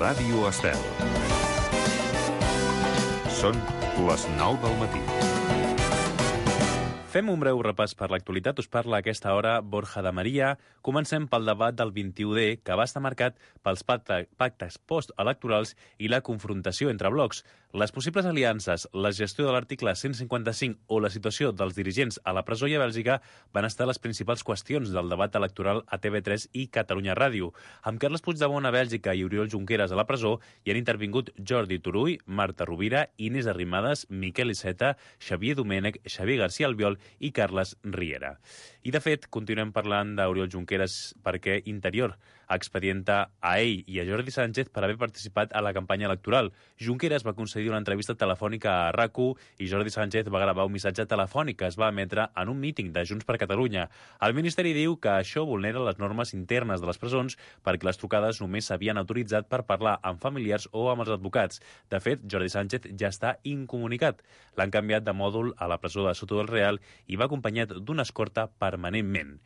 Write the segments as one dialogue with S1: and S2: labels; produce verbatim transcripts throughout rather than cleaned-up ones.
S1: Ràdio Estel. Són les nou del matí.
S2: Fem un breu repàs per l'actualitat. Us parla a aquesta hora Borja de Maria. Comencem pel debat del vint-i-u D, que va estar marcat pels pactes postelectorals i la confrontació entre blocs. Les possibles aliances, la gestió de l'article cent cinquanta-cinc o la situació dels dirigents a la presó i a Bèlgica van estar les principals qüestions del debat electoral a T V tres i Catalunya Ràdio. Amb Carles Puigdemont a Bèlgica i Oriol Junqueras a la presó hi han intervingut Jordi Turull, Marta Rovira, Inés Arrimadas, Miquel Iceta, Xavier Domènech, Xavier García Albiol i Carles Riera. I, de fet, continuem parlant d'Oriol Junqueras perquè Interior expedienta a ell i a Jordi Sánchez per haver participat a la campanya electoral. Junqueras va concedir una entrevista telefònica a R A C u i Jordi Sánchez va gravar un missatge telefònic que es va emetre en un míting de Junts per Catalunya. El Ministeri diu que això vulnera les normes internes de les presons perquè les trucades només s'havien autoritzat per parlar amb familiars o amb els advocats. De fet, Jordi Sánchez ja està incomunicat. L'han canviat de mòdul a la presó de Soto del Real i va acompanyat d'una escorta permanentment.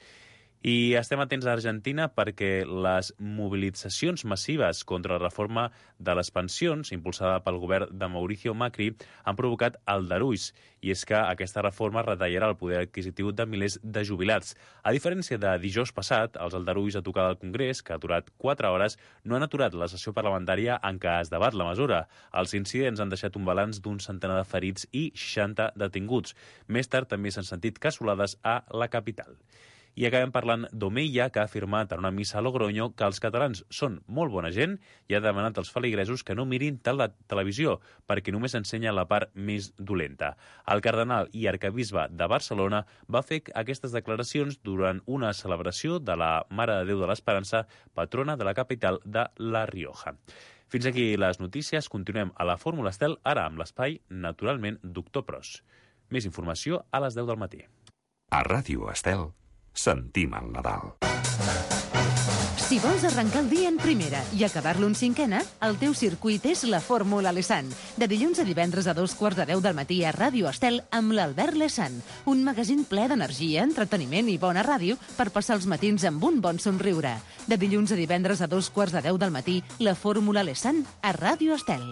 S2: I estem atents a Argentina perquè les mobilitzacions massives contra la reforma de les pensions, impulsada pel govern de Mauricio Macri, han provocat aldarulls. I és que aquesta reforma retallarà el poder adquisitiu de milers de jubilats. A diferència de dijous passat, els aldarulls a tocar del Congrés, que ha durat quatre hores, no han aturat la sessió parlamentària en què es debat la mesura. Els incidents han deixat un balanç d'un centenar de ferits i seixanta detinguts. Més tard també s'han sentit cassolades a la capital. I acabem parlant d'Omeia, que ha afirmat en una missa a Logroño que els catalans són molt bona gent i ha demanat als feligresos que no mirin tal la televisió perquè només ensenya la part més dolenta. El cardenal i arquebisbe de Barcelona va fer aquestes declaracions durant una celebració de la Mare de Déu de l'Esperança, patrona de la capital de La Rioja. Fins aquí les notícies. Continuem a la Fórmula Estel, ara amb l'espai, naturalment, Doctor Pros. Més informació a les deu del matí.
S1: A Ràdio Estel sentim el Nadal.
S3: Si vols arrencar el dia en primera i acabar-lo en cinquena, el teu circuit és la Fórmula Lesan. De dilluns a divendres a dos quarts de deu del matí a Ràdio Estel amb l'Albert Lesan. Un magazín ple d'energia, entreteniment i bona ràdio per passar els matins amb un bon somriure. De dilluns a divendres a dos quarts de deu del matí, la Fórmula Lesan a Ràdio Estel.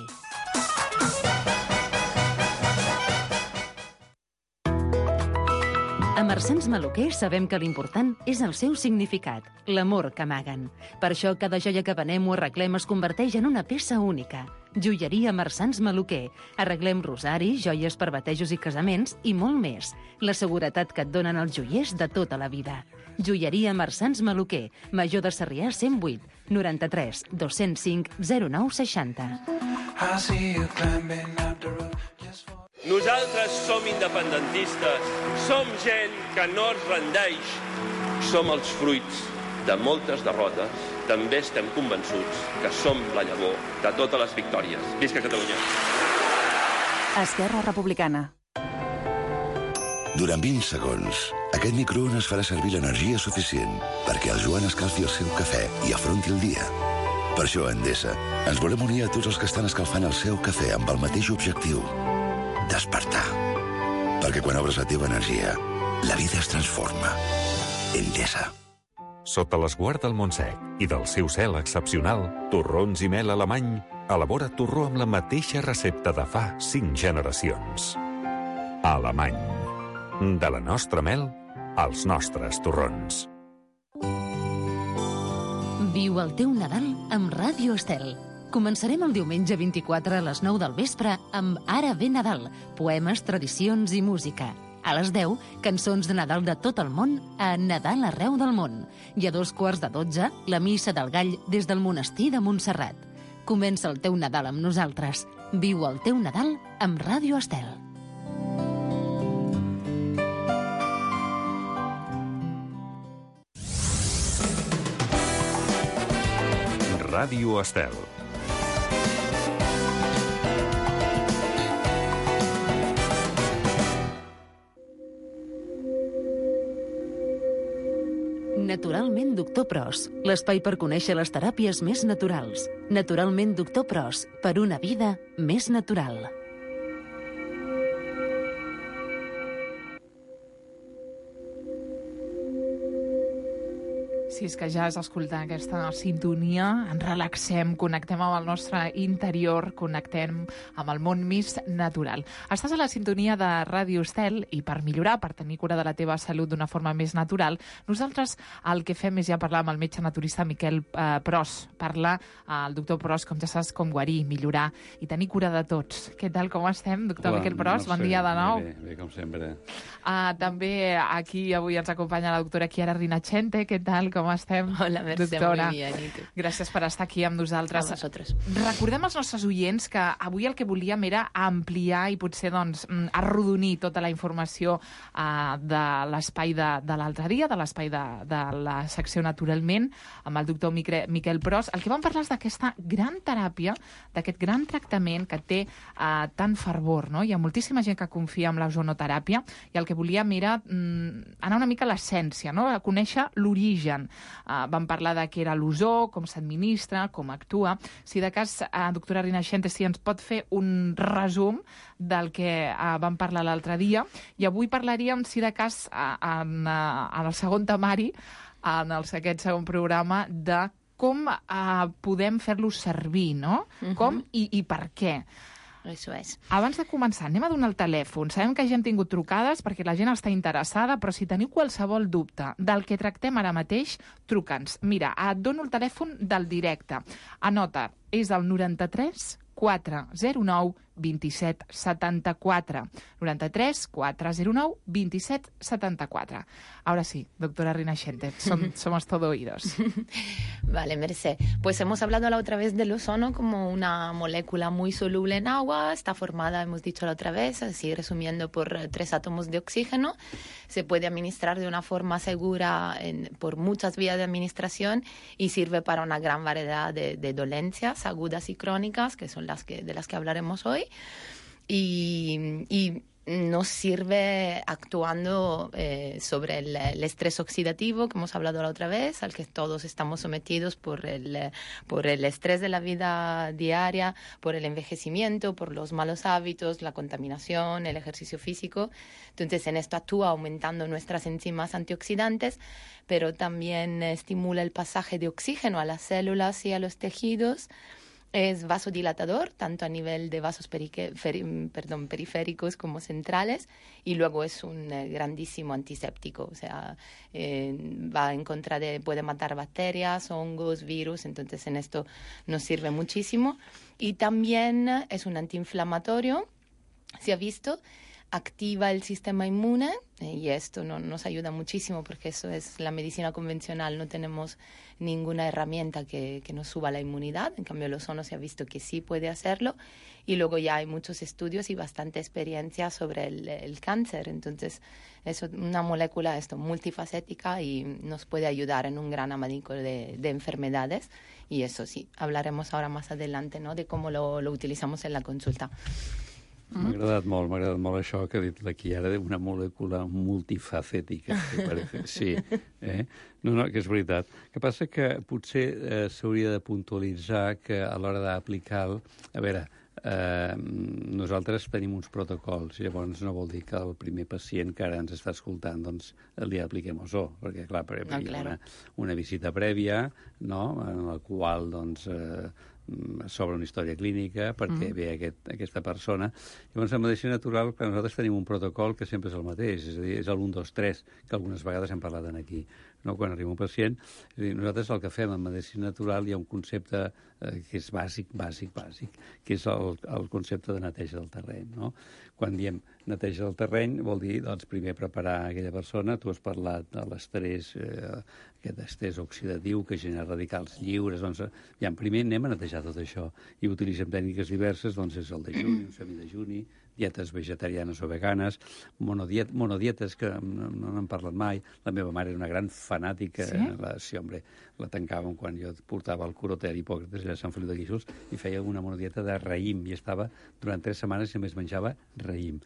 S3: A Marsans Maluquer sabem que l'important és el seu significat, l'amor que amaguen. Per això cada joia que venem o arreglem es converteix en una peça única. Joieria Marsans Maluquer. Arreglem rosaris, joies per batejos i casaments i molt més. La seguretat que et donen els joiers de tota la vida. Joieria Marsans Maluquer. Major de Sarrià cent vuit, noranta-tres, dos-cents cinc, zero nou seixanta.
S4: Nosaltres som independentistes, som gent que no es rendeix. Som els fruits de moltes derrotes. També estem convençuts que som la llavor de totes les victòries. Visca Catalunya!
S5: Esquerra Republicana.
S6: Durant vint segons, aquest microones farà servir l'energia suficient perquè el Joan escalfi el seu cafè i afronti el dia. Per això, a Endesa, ens volem unir a tots els que estan escalfant el seu cafè amb el mateix objectiu: despertar. Perquè quan obres la teva energia, la vida es transforma. Endesa.
S1: Sota l'esguard del Montsec i del seu cel excepcional, Torrons i Mel Alemany elabora torró amb la mateixa recepta de fa cinc generacions. Alemany. De la nostra mel, als nostres torrons.
S3: Viu el teu Nadal amb Ràdio Estel. Començarem el diumenge vint-i-quatre a les nou del vespre amb Ara ve Nadal, poemes, tradicions i música. A les deu, cançons de Nadal de tot el món a Nadal arreu del món. I a dos quarts de dotze, la missa del gall des del monestir de Montserrat. Comença el teu Nadal amb nosaltres. Viu el teu Nadal amb Ràdio Estel.
S1: Ràdio Estel.
S3: Naturalment Doctor Pros, l'espai per conèixer les teràpies més naturals. Naturalment Doctor Pros, per una vida més natural.
S7: Sí, és que ja és escoltar aquesta sintonia, ens relaxem, connectem amb el nostre interior, connectem amb el món més natural. Estàs a la sintonia de Ràdio Estel i per millorar, per tenir cura de la teva salut d'una forma més natural, nosaltres el que fem és ja parlar amb el metge naturista Miquel eh, Pros, parlar al doctor Pros, com ja saps, com guarir, millorar i tenir cura de tots. Què tal, com estem, doctor
S8: Hola,
S7: Miquel Pros?
S8: no
S7: Bon
S8: sé,
S7: dia de nou.
S8: Bé, bé, com sempre.
S7: Uh, també aquí avui ens acompanya la doctora Chiara Rinachente. Què tal, com estem?
S9: Hola, Mercè,
S7: doctora.
S9: muy bien, ¿y tú?
S7: Gràcies per estar aquí amb nosaltres.
S9: A vosaltres.
S7: Recordem als nostres oients que avui el que volíem era ampliar i potser doncs, arrodonir tota la informació uh, de l'espai de, de l'altre dia, de l'espai de, de la secció Naturalment, amb el doctor Miquel, Miquel Pros. El que vam parlar és d'aquesta gran teràpia, d'aquest gran tractament que té uh, tant fervor, no? Hi ha moltíssima gent que confia en l'ozonoteràpia i el que volíem era mm, anar una mica a l'essència, no? A conèixer l'origen. Uh, vam parlar de què era l'ozó, com s'administra, com actua. Si de cas, uh, doctora Rinachente, si ens pot fer un resum del que uh, vam parlar l'altre dia. I avui parlaríem, si de cas, uh, en, uh, en el segon temari, en el, aquest segon programa, de com uh, podem fer-lo servir, no? Uh-huh. Com i, i per què.
S9: Eso es.
S7: Abans de començar, anem a donar el telèfon. Sabem que ja hem tingut trucades perquè la gent està interessada, però si teniu qualsevol dubte del que tractem ara mateix, truca'ns. Mira, et dono el telèfon del directe. Anota, és el noranta-tres quatre zero nou vint-i-set setanta-quatre. noranta-tres quatre zero nou vint-i-set setanta-quatre. Ahora sí, doctora Rinachente, som, somos todo oídos.
S9: Vale, Mercè. Pues hemos hablado la otra vez del ozono como una molécula muy soluble en agua. Está formada, hemos dicho la otra vez, así resumiendo, por tres átomos de oxígeno. Se puede administrar de una forma segura en, por muchas vías de administración y sirve para una gran variedad de, de dolencias agudas y crónicas, que son las que, de las que hablaremos hoy. Y, y nos sirve actuando eh, sobre el, el estrés oxidativo, que hemos hablado la otra vez, al que todos estamos sometidos por el, por el estrés de la vida diaria, por el envejecimiento, por los malos hábitos, la contaminación, el ejercicio físico. Entonces, en esto actúa aumentando nuestras enzimas antioxidantes, pero también estimula el pasaje de oxígeno a las células y a los tejidos. Es vasodilatador, tanto a nivel de vasos perique, fer, perdón, periféricos como centrales, y luego es un eh, grandísimo antiséptico, o sea, eh, va en contra de, puede matar bacterias, hongos, virus, entonces en esto nos sirve muchísimo. Y también es un antiinflamatorio, se ha visto, activa el sistema inmune, eh, y esto no, nos ayuda muchísimo porque eso es la medicina convencional, no tenemos ninguna herramienta que, que nos suba la inmunidad, en cambio el ozono se ha visto que sí puede hacerlo, y luego ya hay muchos estudios y bastante experiencia sobre el, el cáncer, entonces es una molécula esto multifacética y nos puede ayudar en un gran abanico de, de enfermedades, y eso sí, hablaremos ahora más adelante, ¿no?, de cómo lo, lo utilizamos en la consulta.
S8: M'ha agradat molt, m'ha agradat molt això que ha dit la Chiara, una molècula multifacètica, que parece. Sí, eh? No, no, que és veritat. El que passa que potser eh, s'hauria de puntualitzar que a l'hora d'aplicar... El... A veure, eh, nosaltres tenim uns protocols, i llavors no vol dir que el primer pacient que ara ens està escoltant doncs li apliquem ozó, perquè clar, per no, hi ha una, una visita prèvia, no?, en la qual doncs... Eh, sobre una història clínica perquè mm. ve aquest, aquesta persona. Llavors, en medicina natural, nosaltres tenim un protocol que sempre és el mateix, és a dir, és el un, dos, tres, que algunes vegades hem parlat aquí. No? Quan arriba un pacient, és a dir, nosaltres el que fem en medicina natural hi ha un concepte eh, que és bàsic, bàsic, bàsic, que és el, el concepte de neteja del terreny. No? Quan diem neteja del terreny vol dir, doncs, primer preparar aquella persona. Tu has parlat de l'estrès, eh, aquest estrès oxidatiu que genera radicals lliures. Doncs, ja, primer anem a netejar tot això i utilitzem tècniques diverses, doncs és el dejuni, un semidejuni, dietes vegetarianes o veganes, monodiet, monodietes que no, no n'han parlat mai. La meva mare era una gran fanàtica.
S7: Sí?
S8: La, sí, home, la tancàvem quan jo portava el curoter Hipòcrates allà a Sant Feliu de Guíxols i feia una monodieta de raïm i estava durant tres setmanes i només menjava raïm.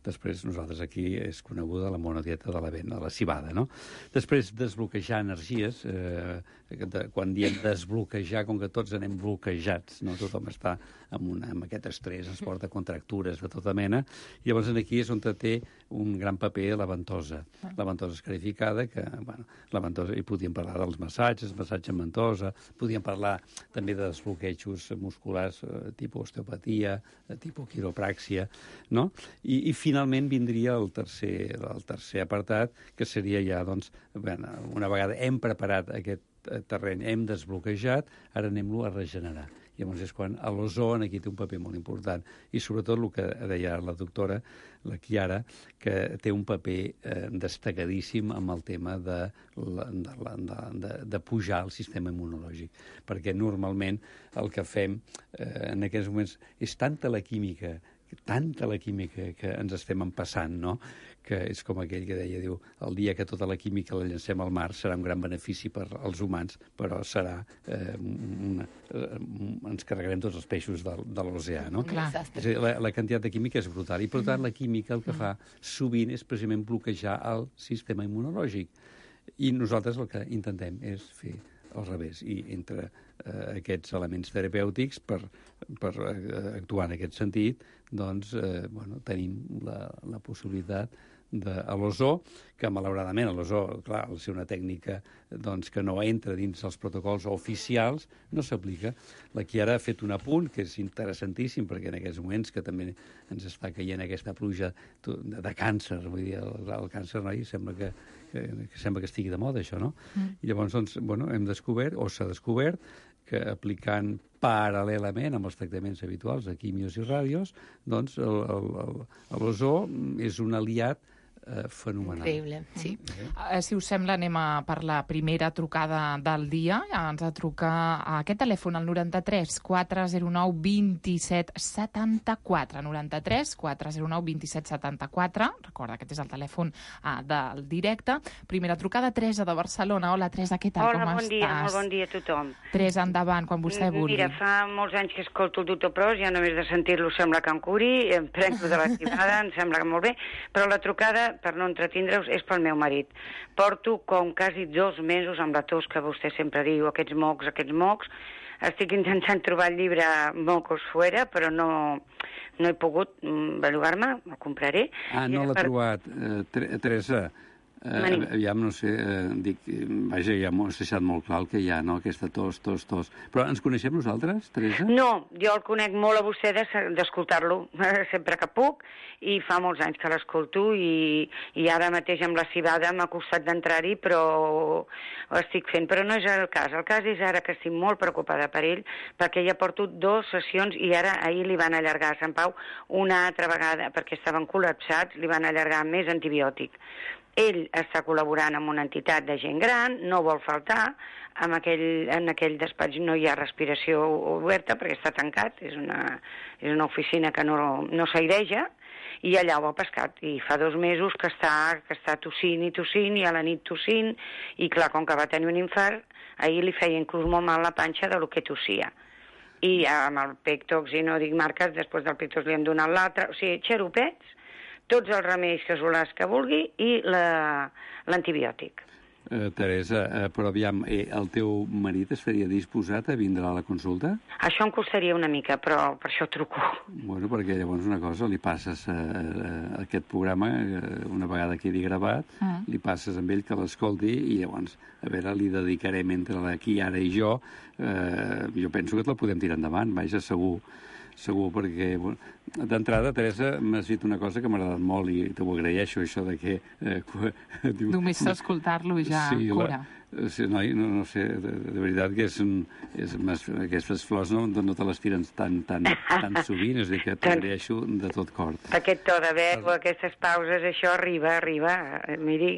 S8: Després nosaltres aquí és coneguda la monodieta de l'avena, de la cibada, no? Després desbloquejar energies, eh, de, quan diem desbloquejar, com que tots anem bloquejats, no? Tothom està amb, una, amb aquest estrès, ens porta contractures de tota mena. mena. I llavors aquí és on té un gran paper la ventosa. La ventosa escarificada, que, bueno, la ventosa, i podíem parlar dels massatges, massatge amb ventosa, podíem parlar també de desbloquejos musculars, eh, tipus osteopatia, eh, tipus quiropràxia, no? I, i finalment vindria el tercer, el tercer apartat, que seria ja, doncs, bueno, una vegada hem preparat aquest terreny, hem desbloquejat, ara anem-lo a regenerar. I llavors és quan l'ozó aquí té un paper molt important. I sobretot el que deia la doctora, la Chiara, que té un paper eh, destacadíssim amb el tema de, de, de, de, de pujar el sistema immunològic. Perquè normalment el que fem eh, en aquests moments és tanta la química, tanta la química que ens estem empassant, no?, que és com aquell que deia, diu, el dia que tota la química la llancem al mar serà un gran benefici per als humans, però serà eh, una, eh, ens carregarem tots els peixos de, de l'oceà, no?
S9: Clar.
S8: És a dir, la, la quantitat de química és brutal, i per tant la química el que fa sovint és precisament bloquejar el sistema immunològic. I nosaltres el que intentem és fer al revés, i entre eh, aquests elements terapèutics per, per eh, actuar en aquest sentit, doncs, eh, bueno, tenim la, la possibilitat de l'ozó, que malauradament l'ozó, clar, al ser una tècnica doncs, que no entra dins els protocols oficials, no s'aplica. La Chiara ha fet un apunt que és interessantíssim, perquè en aquests moments que també ens està caient aquesta pluja de, de càncer, vull dir, el, el càncer, no? I sembla que, que, que sembla que estigui de moda, això, no? Mm. I llavors, doncs, bueno, hem descobert, o s'ha descobert, que aplicant paral·lelament amb els tractaments habituals de quimios i ràdios, doncs l'ozó és un aliat eh, fenomenal.
S9: Increïble, sí.
S7: Uh, si us sembla, anem a per la primera trucada del dia. Ens ha de trucar a aquest telèfon, al noranta-tres quatre zero nou dos set setanta quatre. noranta-tres quatre zero nou dos set setanta quatre. Recorda, aquest és el telèfon uh, del directe. Primera trucada, Teresa de Barcelona. Hola, Teresa, què tal?
S10: Hola,
S7: com
S10: bon
S7: estàs?
S10: dia, molt bon dia a tothom.
S7: Teresa, endavant, quan vostè vulgui.
S10: Mira, fa molts anys que escolto el doctor Pros, ja només de sentir-lo sembla que em curi, em prenc de l'activada, em sembla que molt bé, però la trucada, per no entretindre-us, és pel meu marit. Porto com quasi dos mesos amb la tos que vostè sempre diu, aquests mocs, aquests mocs. Estic intentant trobar el llibre Mocos Fuera, però no, no he pogut bellugar-me, el compraré.
S8: Ah, no l'ha per... trobat. Uh, Teresa, uh, aviam, no sé, uh, dic, vaja, ja m'ho has deixat molt clar el que hi ha, no?, aquesta tos, tos, tos. Però ens coneixem nosaltres, Teresa?
S10: No, jo el conec molt a vostè d'escoltar-lo sempre que puc, i fa molts anys que l'escolto, i, i ara mateix amb la cibada m'ha costat d'entrar-hi, però ho estic fent. Però no és el cas. El cas és ara que estic molt preocupada per ell, perquè ja porto dues sessions i ara ahir li van allargar a Sant Pau una altra vegada, perquè estaven col·lapsats, li van allargar més antibiòtic. Ell està col·laborant amb una entitat de gent gran, no vol faltar, en aquell, en aquell despatx no hi ha respiració oberta perquè està tancat, és una, és una oficina que no, no s'aireja, i allà ho ha pescat, i fa dos mesos que està, que està tossint i tossint, i a la nit tossint, i clar, com que va tenir un infart, ahir li feia inclús molt mal la panxa de lo que tossia. I amb el Pectox, i no dic marques, després del Pectox li hem donat l'altre, o sigui, xeropets, tots els remeis casolars que vulgui, i l'antibiòtic.
S8: Eh, Teresa, eh, però aviam, eh, el teu marit es faria disposat a vindre a la consulta?
S10: Això em costaria una mica, però per això truco.
S8: Bueno, perquè llavors una cosa, li passes eh, eh, aquest programa, eh, una vegada quedi gravat, mm. li passes amb ell que l'escolti, i llavors, a veure, li dedicarem entre aquí, ara i jo, eh, jo penso que te la podem tirar endavant, vaja, segur. Segur, perquè bueno, d'entrada, Teresa, m'has dit una cosa que m'ha agradat molt i t'ho agraeixo, això de que... Eh,
S7: diu, Només escoltar-lo ja
S8: sí,
S7: cura.
S8: La, sí, no, no, no sé, de, de veritat que és, és, aquestes flors no, no te les tiren tan, tan, tan sovint, és a dir, que t'agraeixo de tot cor.
S10: Aquest to de veu, aquestes pauses, això arriba, arriba, miri,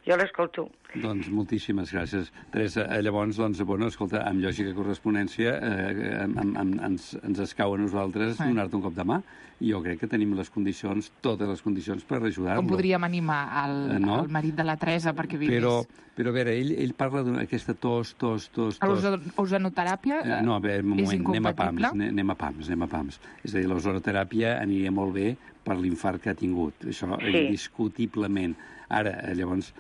S10: jo l'escolto.
S8: Doncs moltíssimes gràcies. Teresa, llavors, doncs, bueno, escolta, amb lògica correspondència eh, amb, amb, ens, ens escau a nosaltres sí. donar-te un cop de mà. I jo crec que tenim les condicions, totes les condicions per ajudar-lo.
S7: Com podríem animar el, eh, no? el marit de la Teresa perquè vingués?
S8: Però, però a veure, ell, ell parla d'aquesta tos, tos, tos, tos.
S7: L'ozonoteràpia eh,
S8: no, a veure, un moment,
S7: és incompatible?
S8: Anem a pams, anem a pams, anem a pams. És a dir, l'ozonoteràpia aniria molt bé per l'infart que ha tingut. Això
S10: Sí.
S8: indiscutiblement. Ara, llavors,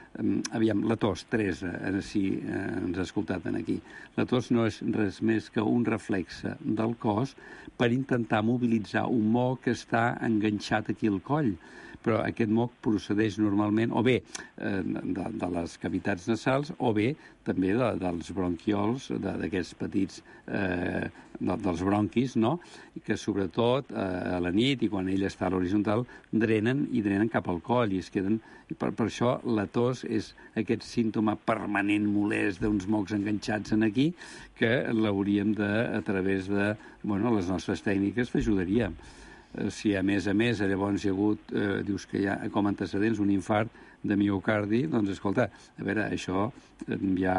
S8: aviam, la tos, Teresa, si ens ha escoltat aquí, la tos no és res més que un reflexe del cos per intentar mobilitzar un moc que està enganxat aquí al coll. Però aquest moc procedeix normalment, o bé eh, de, de les cavitats nasals, o bé també de, dels bronquiols, d'aquests petits, eh, de, dels bronquis, no? Que sobretot eh, a la nit i quan ell està a l'horitzontal drenen i drenen cap al coll i es queden... I per, per això la tos és aquest símptoma permanent molest d'uns mocs enganxats en aquí que l'hauríem de, a través de bueno, les nostres tècniques, l'ajudaríem. Si a més a més llavors hi ha hagut, eh, dius que hi ha com antecedents un infart de miocardi, doncs escolta, a veure, això ja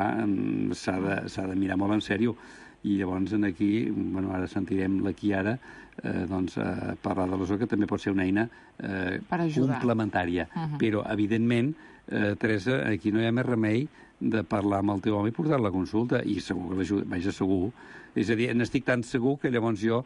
S8: s'ha de, s'ha de mirar molt en sèrio. I llavors aquí, bueno, ara sentirem la Chiara, eh, doncs, eh, parlar de l'ozó, que també pot ser una eina eh, complementària. Uh -huh. Però, evidentment, eh, Teresa, aquí no hi ha més remei de parlar amb el teu home i portar-la a consulta, i segur que l'ajuda, vaja, segur. És a dir, n'estic tan segur que llavors jo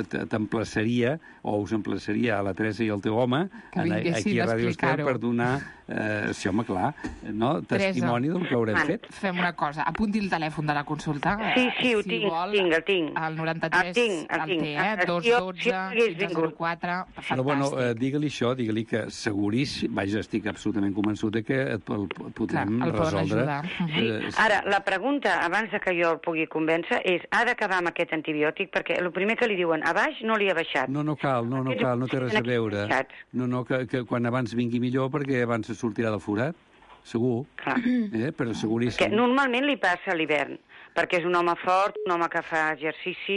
S8: t'emplaçaria, o us emplaçaria a la Teresa i al teu home aquí a Ràdio Estel per donar, eh, sí, home, clar, no? testimoni del que haurem fet.
S7: Fem una cosa, apunti el telèfon de la consulta.
S10: Sí, sí, ho
S7: si
S10: tinc,
S7: vol,
S10: tinc, el tinc.
S7: El noranta-tres,
S10: el tinc, el,
S7: el
S10: tinc.
S7: té, eh? dos dotze, quinze zero quatre, fantàstic.
S8: Però, bueno, eh, digue-li això, digue-li que seguríssim, vaja, estic absolutament convençut que et el podrem
S7: Clar, el
S8: resoldre.
S7: Uh -huh.
S10: eh, Ara, la pregunta, abans de que jo el pugui convèncer, és, ha d'acabar amb aquest antibiòtic? Perquè el primer que li diuen, a baix no li ha baixat.
S8: No, no cal, no, no cal, no té res a veure. No, no, que, que quan abans vingui millor, perquè abans se sortirà del forat, segur.
S10: Clar.
S8: Eh? Però seguríssim.
S10: Perquè normalment li passa a l'hivern, perquè és un home fort, un home que fa exercici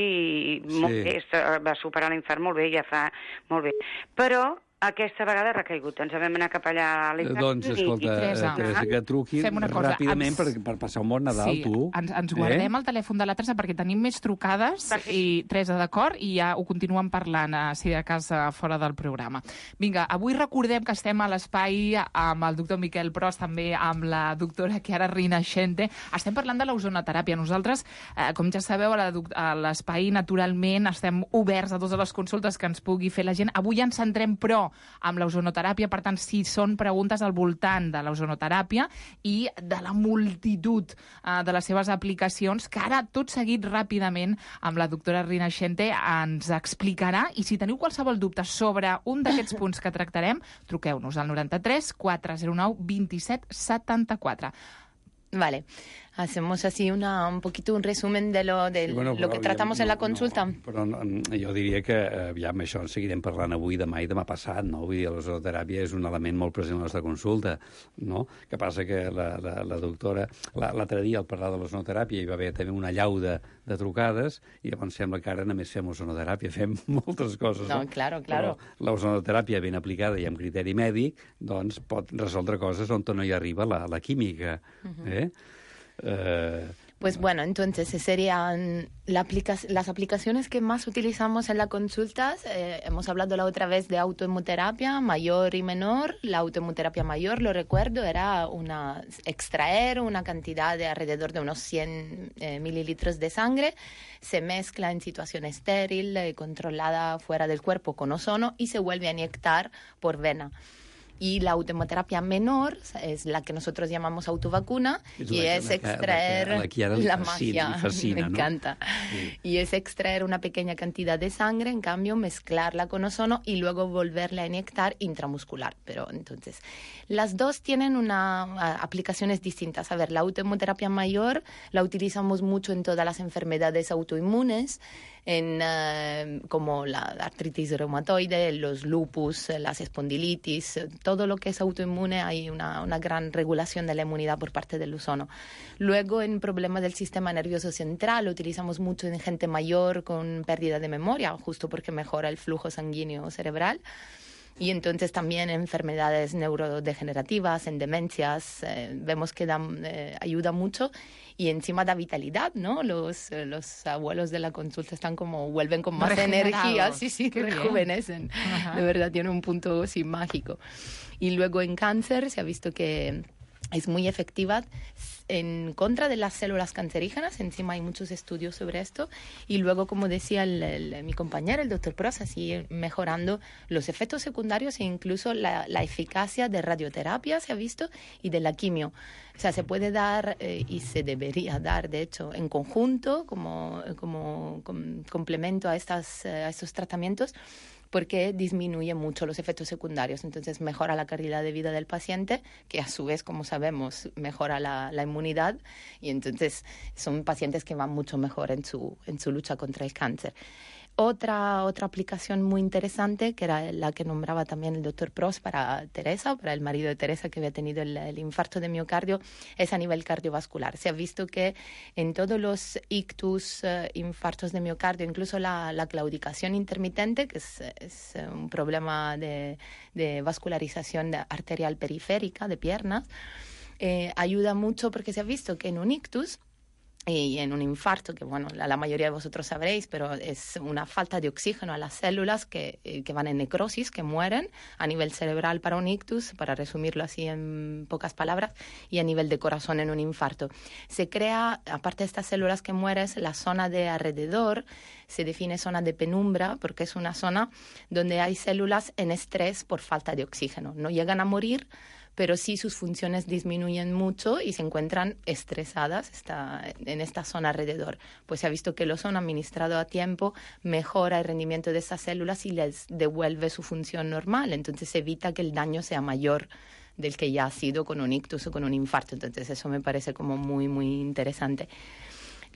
S10: i molt
S8: Sí.
S10: bé, va superar l'infart molt bé, ja fa molt bé. Però aquesta vegada ha recaigut. Ens vam anar cap allà a l'Estat.
S8: Doncs, escolta,
S7: i, Teresa,
S8: Teresa, que truqui ràpidament
S7: ens...
S8: per, per passar un bon Nadal,
S7: sí,
S8: tu.
S7: Ens, ens guardem
S8: eh?
S7: el telèfon de la Teresa perquè tenim més trucades i Teresa, d'acord? I ja ho continuem parlant, eh, si de cas, eh, fora del programa. Vinga, avui recordem que estem a l'espai amb el doctor Miquel Pros, també amb la doctora Chiara Rinascente. Estem parlant de l'ozonoteràpia. Nosaltres, eh, com ja sabeu, a l'espai, naturalment, estem oberts a totes les consultes que ens pugui fer la gent. Avui ens centrem, però, amb l'ozonoteràpia, per tant, si són preguntes al voltant de l'ozonoteràpia i de la multitud uh, de les seves aplicacions, que ara, tot seguit, ràpidament, amb la doctora Rinascente ens explicarà, i si teniu qualsevol dubte sobre un d'aquests punts que tractarem, truqueu-nos al noranta-tres quatre zero nou vint set setanta-quatre.
S9: Vale. Hacemos así una, un poquito un resumen de lo, de
S8: Sí, bueno,
S9: lo que tratamos
S8: no,
S9: en la consulta.
S8: No, però no, jo diria que aviam, això en seguirem parlant avui, demà i demà passat, no? Vull dir, l'ozonoteràpia és un element molt present a la nostra consulta, no? Que passa que la, la, la doctora, l'altre dia al parlar de l'ozonoteràpia hi va haver també una llau de, de trucades i llavors sembla que ara només fem ozonoteràpia, fem moltes coses, no?
S9: No, claro, claro.
S8: Però l'ozonoteràpia ben aplicada i amb criteri mèdic, doncs pot resoldre coses on no hi arriba la, la química, uh-huh. eh? Eh,
S9: Pues bueno, entonces serían la aplica las aplicaciones que más utilizamos en las consultas. Eh, hemos hablado la otra vez de autohemoterapia mayor y menor. La autohemoterapia mayor, lo recuerdo, era una extraer una cantidad de alrededor de unos cien eh, mililitros de sangre. Se mezcla en situación estéril, eh, controlada fuera del cuerpo con ozono y se vuelve a inyectar por vena. Y la autohemoterapia menor es la que nosotros llamamos autovacuna es y la, es la, extraer
S8: la, la, la, la
S9: magia,
S8: fascina,
S9: me
S8: ¿no?
S9: encanta. Sí. Y es extraer una pequeña cantidad de sangre, en cambio mezclarla con ozono y luego volverla a inyectar intramuscular. Pero entonces, las dos tienen una, uh, aplicaciones distintas. A ver, la autohemoterapia mayor la utilizamos mucho en todas las enfermedades autoinmunes, en uh, como la artritis reumatoide, los lupus, las espondilitis, todo lo que es autoinmune hay una, una gran regulación de la inmunidad por parte del ozono. Luego, en problemas del sistema nervioso central, lo utilizamos mucho en gente mayor con pérdida de memoria, justo porque mejora el flujo sanguíneo cerebral. Y entonces también en enfermedades neurodegenerativas, en demencias, eh, vemos que da, eh, ayuda mucho y encima da vitalidad, ¿no? Los, los abuelos de la consulta están como, vuelven con más energía, sí, sí, que rejuvenecen. De verdad, tiene un punto, sí, mágico. Y luego en cáncer se ha visto que es muy efectiva en contra de las células cancerígenas. Encima hay muchos estudios sobre esto. Y luego, como decía el, el, mi compañero, el doctor Pros, así mejorando los efectos secundarios e incluso la, la eficacia de radioterapia, se ha visto, y de la quimio. O sea, se puede dar eh, y se debería dar, de hecho, en conjunto como, como com, complemento a, estas, a estos tratamientos, porque disminuye mucho los efectos secundarios. Entonces mejora la calidad de vida del paciente, que a su vez, como sabemos, mejora la, la inmunidad, y entonces son pacientes que van mucho mejor en su, en su lucha contra el cáncer. Otra, otra aplicación muy interesante, que era la que nombraba también el doctor Pros para Teresa, para el marido de Teresa que había tenido el, el infarto de miocardio, es a nivel cardiovascular. Se ha visto que en todos los ictus, uh, infartos de miocardio, incluso la, la claudicación intermitente, que es, es un problema de, de vascularización arterial periférica de piernas, eh, ayuda mucho porque se ha visto que en un ictus y en un infarto, que bueno, la, la mayoría de vosotros sabréis, pero es una falta de oxígeno a las células que, que van en necrosis, que mueren a nivel cerebral para un ictus, para resumirlo así en pocas palabras, y a nivel de corazón en un infarto. Se crea, aparte de estas células que mueren, la zona de alrededor, se define zona de penumbra, porque es una zona donde hay células en estrés por falta de oxígeno. No llegan a morir, pero sí sus funciones disminuyen mucho y se encuentran estresadas está, en esta zona alrededor. Pues se ha visto que el ozono administrado a tiempo mejora el rendimiento de estas células y les devuelve su función normal. Entonces evita que el daño sea mayor del que ya ha sido con un ictus o con un infarto. Entonces eso me parece como muy, muy interesante.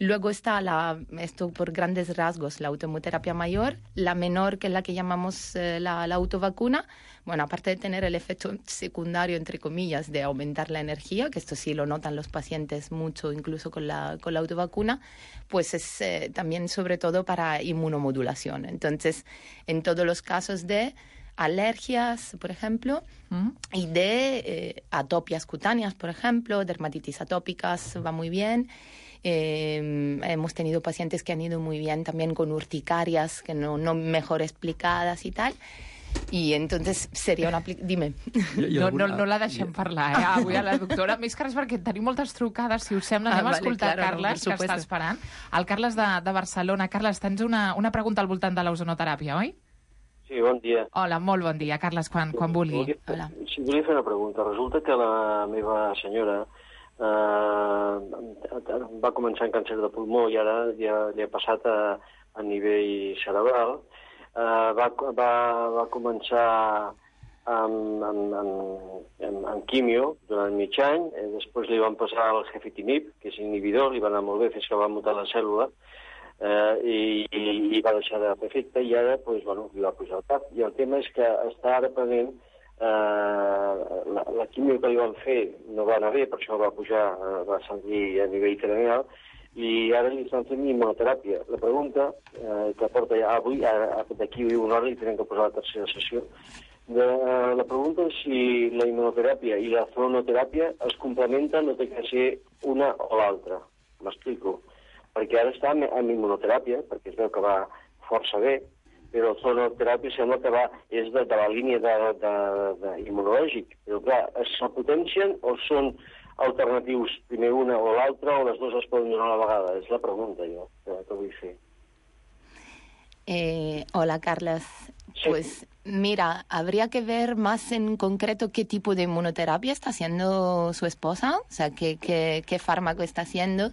S9: Luego está, la, esto por grandes rasgos, la autohemoterapia mayor, la menor, que es la que llamamos eh, la, la autovacuna. Bueno, aparte de tener el efecto secundario, entre comillas, de aumentar la energía, que esto sí lo notan los pacientes mucho, incluso con la, con la autovacuna, pues es eh, también sobre todo para inmunomodulación. Entonces, en todos los casos de alergias, por ejemplo, mm. y de eh, atopias cutáneas, por ejemplo, dermatitis atópicas, va muy bien. Eh, hemos tenido pacientes que han ido muy bien también con urticarias que no, no mejor explicadas y tal. I entonces seria una... Dime.
S7: No, no, no la deixem parlar, eh, avui a la doctora. Més que res perquè tenim moltes trucades, si us sembla. Anem ah, vale, a escoltar claro, Carles, no, que està esperant. El Carles de, de Barcelona. Carles, tens una, una pregunta al voltant de l'ozonoteràpia, oi?
S11: Sí, bon dia.
S7: Hola, molt bon dia, Carles, quan, quan vulgui.
S11: Volia, Hola. Sí, volia fer una pregunta. Resulta que la meva senyora eh, va començar amb càncer de pulmó i ara ja li ha passat a, a nivell cerebral. Uh, va, va, va començar amb, amb, amb, amb, amb quimio durant mig any, eh, després li van passar el gefitinib, que és inhibidor, li va anar molt bé fins que va mutar la cèl·lula, eh, i, i, i va deixar de fer efecte, i ara pues, bueno, li va pujar el cap. I el tema és que està ara prenent eh, la, la quimio que li van fer no va anar bé, per això va pujar, eh, va sentir a nivell cranial, i ara li estan fent immunoteràpia. La pregunta, eh, que porta ja avui, d'aquí una hora li tenen que posar la tercera sessió, de, eh, la pregunta és si la immunoteràpia i la zoonoteràpia es complementen, no té que ser una o l'altra. M'explico. Perquè ara està amb, amb immunoteràpia, perquè es veu que va força bé, però la zoonoteràpia sembla que va, és de, de la línia de, de, de immunològic. Però clar, es potencien o són alternatius, primer una o l'altra, o les dues es poden donar a la vegada? És la pregunta, jo, que, que vull fer.
S9: Eh, hola, Carles. Sí. Pues mira, habría que ver más en concreto qué tipo de inmunoterapia está haciendo su esposa, o sea, qué, qué, qué fármaco está haciendo.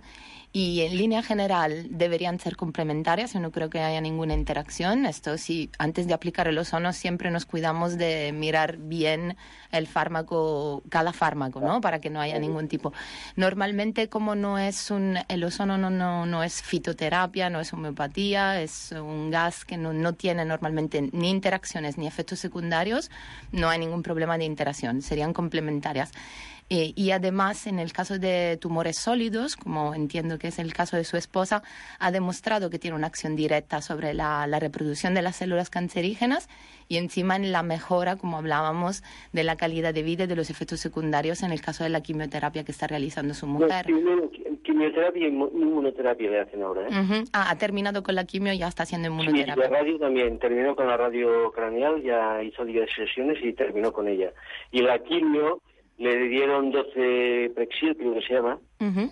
S9: Y en línea general deberían ser complementarias, yo no creo que haya ninguna interacción. Esto sí, antes de aplicar el ozono siempre nos cuidamos de mirar bien el fármaco, cada fármaco, ¿no? Para que no haya ningún tipo. Normalmente, como no es un, el ozono no, no, no es fitoterapia, no es homeopatía, es un gas que no, no tiene normalmente ni interacciones ni efectos secundarios, no hay ningún problema de interacción, serían complementarias. Eh, y además, en el caso de tumores sólidos, como entiendo que es el caso de su esposa, ha demostrado que tiene una acción directa sobre la, la reproducción de las células cancerígenas y encima en la mejora, como hablábamos, de la calidad de vida y de los efectos secundarios en el caso de la quimioterapia que está realizando su mujer.
S11: No, quimioterapia y inmunoterapia le hacen ahora, ¿eh?
S9: Uh-huh. Ah, ha terminado con la quimio y ya está haciendo inmunoterapia.
S11: Sí, la radio también, terminó con la radio craneal, ya hizo diez sesiones y terminó con ella. Y la quimio... le dieron doce Prexil, creo que se llama, uh-huh.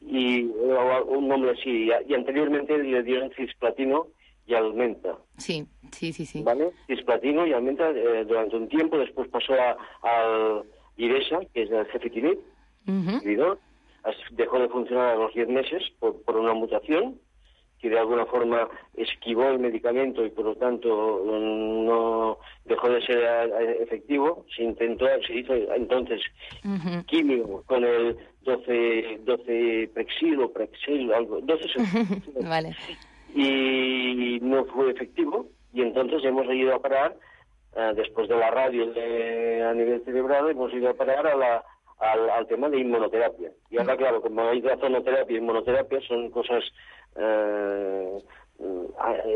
S11: y un nombre así, y anteriormente le dieron cisplatino y Almenta.
S9: Sí, sí, sí, sí.
S11: ¿Vale? Cisplatino y Almenta eh, durante un tiempo, después pasó a, al Iresa, que es el Cefitinib, uh-huh. dejó de funcionar a los diez meses por, por una mutación, que de alguna forma esquivó el medicamento y por lo tanto no dejó de ser efectivo. Se intentó, se hizo entonces uh-huh. químico con el doce, doce Prexil o Prexil, algo, doce
S9: vale.
S11: Y no fue efectivo, y entonces hemos ido a parar, uh, después de la radio de, a nivel cerebral, hemos ido a parar a la, al, al tema de inmunoterapia. Y ahora, claro, como hay ozonoterapia y inmunoterapia, son cosas uh,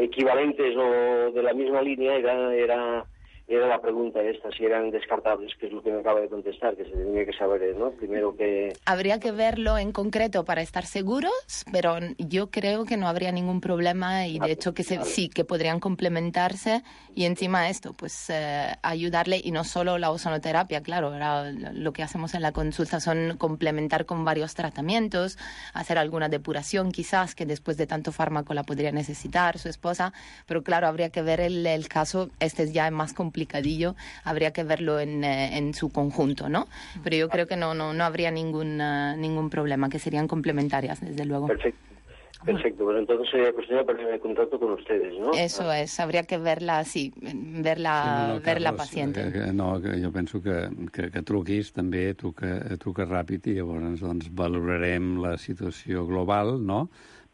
S11: equivalentes o de la misma línea, era... era Era la pregunta esta, si eran descartables, que es lo que me acaba de contestar, que se tenía que saber, ¿no? Primero que...
S9: Habría que verlo en concreto para estar seguros, pero yo creo que no habría ningún problema y de hecho que se, sí, que podrían complementarse y encima esto, pues eh, ayudarle, y no solo la ozonoterapia, claro, ahora lo que hacemos en la consulta son complementar con varios tratamientos, hacer alguna depuración quizás, que después de tanto fármaco la podría necesitar su esposa, pero claro, habría que ver el, el caso, este es ya más complicado, complicadillo, habría que verlo en, eh, en su conjunto, ¿no? Pero yo creo que no no no habría ningún uh, ningún problema, que serían complementarias, desde luego.
S11: Perfecto. Perfecto, pues entonces sería cuestión de ponerme en contacto con ustedes, ¿no?
S9: Eso es, habría que verla, sí, verla,
S8: sí, no, no,
S9: ver la
S8: Carlos,
S9: paciente.
S8: Que, que, no, que jo penso que, que, que truquis també, truca, truca ràpid i llavors doncs, valorarem la situació global, no?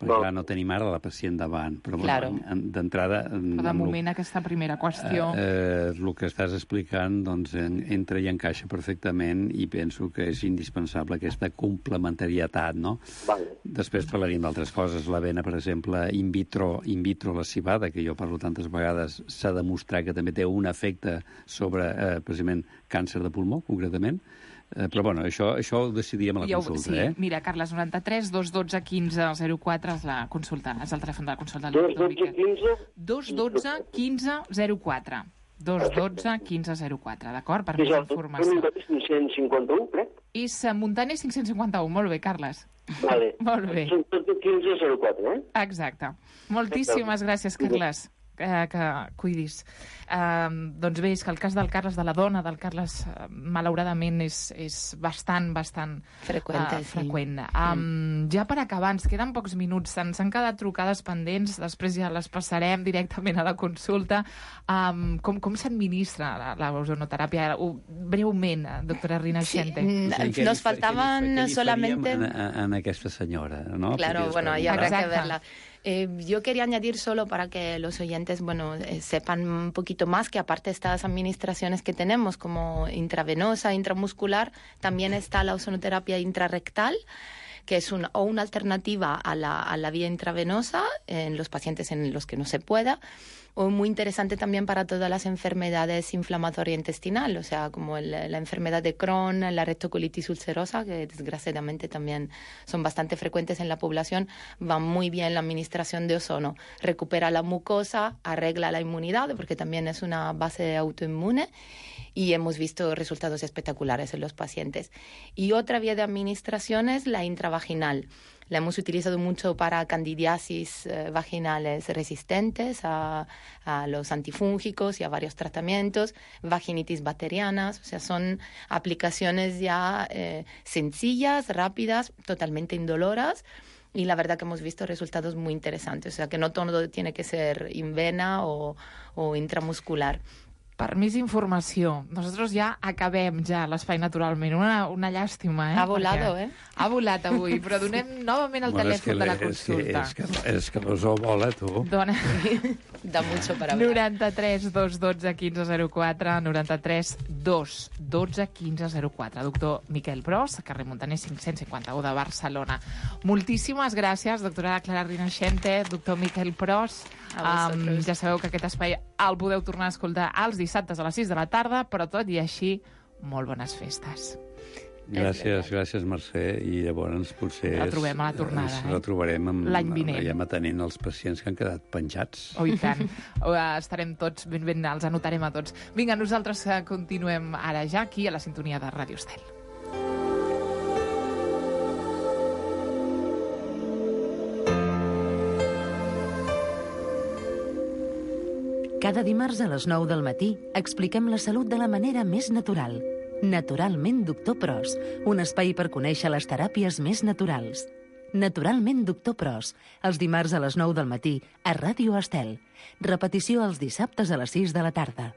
S8: Perquè, clar, no tenim ara la pacient davant. Però,
S7: claro.
S8: bueno, d'entrada...
S7: De moment, lo, aquesta primera qüestió...
S8: Eh, eh, el que estàs explicant, doncs, en, entra i encaixa perfectament i penso que és indispensable aquesta complementarietat, no?
S11: Vale.
S8: Després parlaríem d'altres coses. La vena, per exemple, in vitro, in vitro la cibada, que jo parlo tantes vegades, s'ha demostrat que també té un efecte sobre, eh, precisament, càncer de pulmó, concretament. Eh, però, bueno, això, això ho decidiríem a la
S7: ho,
S8: consulta,
S7: sí.
S8: eh?
S7: Mira, Carles, noranta-tres dos dotze quinze zero quatre és la consulta, és el telèfon de la consulta.
S11: dos dotze quinze
S7: dos dotze quinze zero quatre. dos dotze quinze zero quatre, d'acord? Per més informació.
S11: És cinc-cents cinquanta-u, crec?
S7: És Montane cinc-cents cinquanta-u, molt bé, Carles.
S11: Vale.
S7: Molt bé.
S11: dos dotze quinze zero quatre, eh?
S7: Exacte. Moltíssimes gràcies, Carles. Que, que cuidis. Uh, doncs bé, és que el cas del Carles, de la dona del Carles, uh, malauradament és, és bastant, bastant
S9: freqüent.
S7: Uh, freqüent. Sí. Um, ja per acabar, ens queden pocs minuts, ens han quedat trucades pendents, després ja les passarem directament a la consulta. Um, com com s'administra la, la ozonoteràpia? Uh, breument, doctora Rinascente.
S9: Sí, sí, nos faltaban
S8: què li, què li
S9: solamente...
S8: En, en aquesta senyora, no?
S9: Claro, bueno, ahí habrá
S7: Exacte.
S9: que verla. Eh, yo quería añadir solo para que los oyentes, bueno, eh, sepan un poquito más que aparte de estas administraciones que tenemos como intravenosa, intramuscular, también está la ozonoterapia intrarrectal, que es una, o una alternativa a la, a la vía intravenosa en los pacientes en los que no se pueda, o muy interesante también para todas las enfermedades inflamatorias intestinales, o sea, como el, la enfermedad de Crohn, la rectocolitis ulcerosa, que desgraciadamente también son bastante frecuentes en la población, va muy bien la administración de ozono. Recupera la mucosa, arregla la inmunidad, porque también es una base autoinmune, y hemos visto resultados espectaculares en los pacientes. Y otra vía de administración es la intravaginal. La hemos utilizado mucho para candidiasis eh, vaginales resistentes a, a los antifúngicos y a varios tratamientos, vaginitis bacterianas, o sea, son aplicaciones ya eh, sencillas, rápidas, totalmente indoloras, y la verdad que hemos visto resultados muy interesantes, o sea, que no todo tiene que ser in vena o, o intramuscular.
S7: Per més informació, nosaltres ja acabem ja l'espai naturalment. Una, una llàstima, eh?
S9: Ha volado,
S7: Perquè
S9: eh?
S7: Ha volat avui, però donem novament el
S8: bueno,
S7: telèfon de la consulta.
S8: És que, és que, és que l'ozó vola, tu.
S7: Dona...
S9: Da mucho para hablar.
S7: noranta-tres dos dotze quinze zero quatre, noranta-tres dos dotze quinze zero quatre. Doctor Miquel Pros, carrer Montaner cinc-cents cinquanta-u de Barcelona. Moltíssimes gràcies, doctora Clara Rinascente, doctor Miquel Pros. Um, ja sabeu que aquest espai el podeu tornar a escoltar els dissabtes a les sis de la tarda, però tot i així, molt bones festes.
S8: Gràcies, gràcies, Mercè. I llavors potser...
S7: La trobem a la tornada,
S8: ens
S7: eh?
S8: retrobarem amb,
S7: l'any vinent.
S8: Veiem atenent els pacients que han quedat penjats.
S7: Oh, i tant. Estarem tots ben ben, els anotarem a tots. Vinga, nosaltres continuem ara ja aquí a la sintonia de Ràdio Estel.
S3: Cada dimarts a les nou del matí expliquem la salut de la manera més natural. Naturalment Doctor Pros, un espai per conèixer les teràpies més naturals. Naturalment Doctor Pros, els dimarts a les nou del matí a Ràdio Estel. Repetició els dissabtes a les sis de la tarda.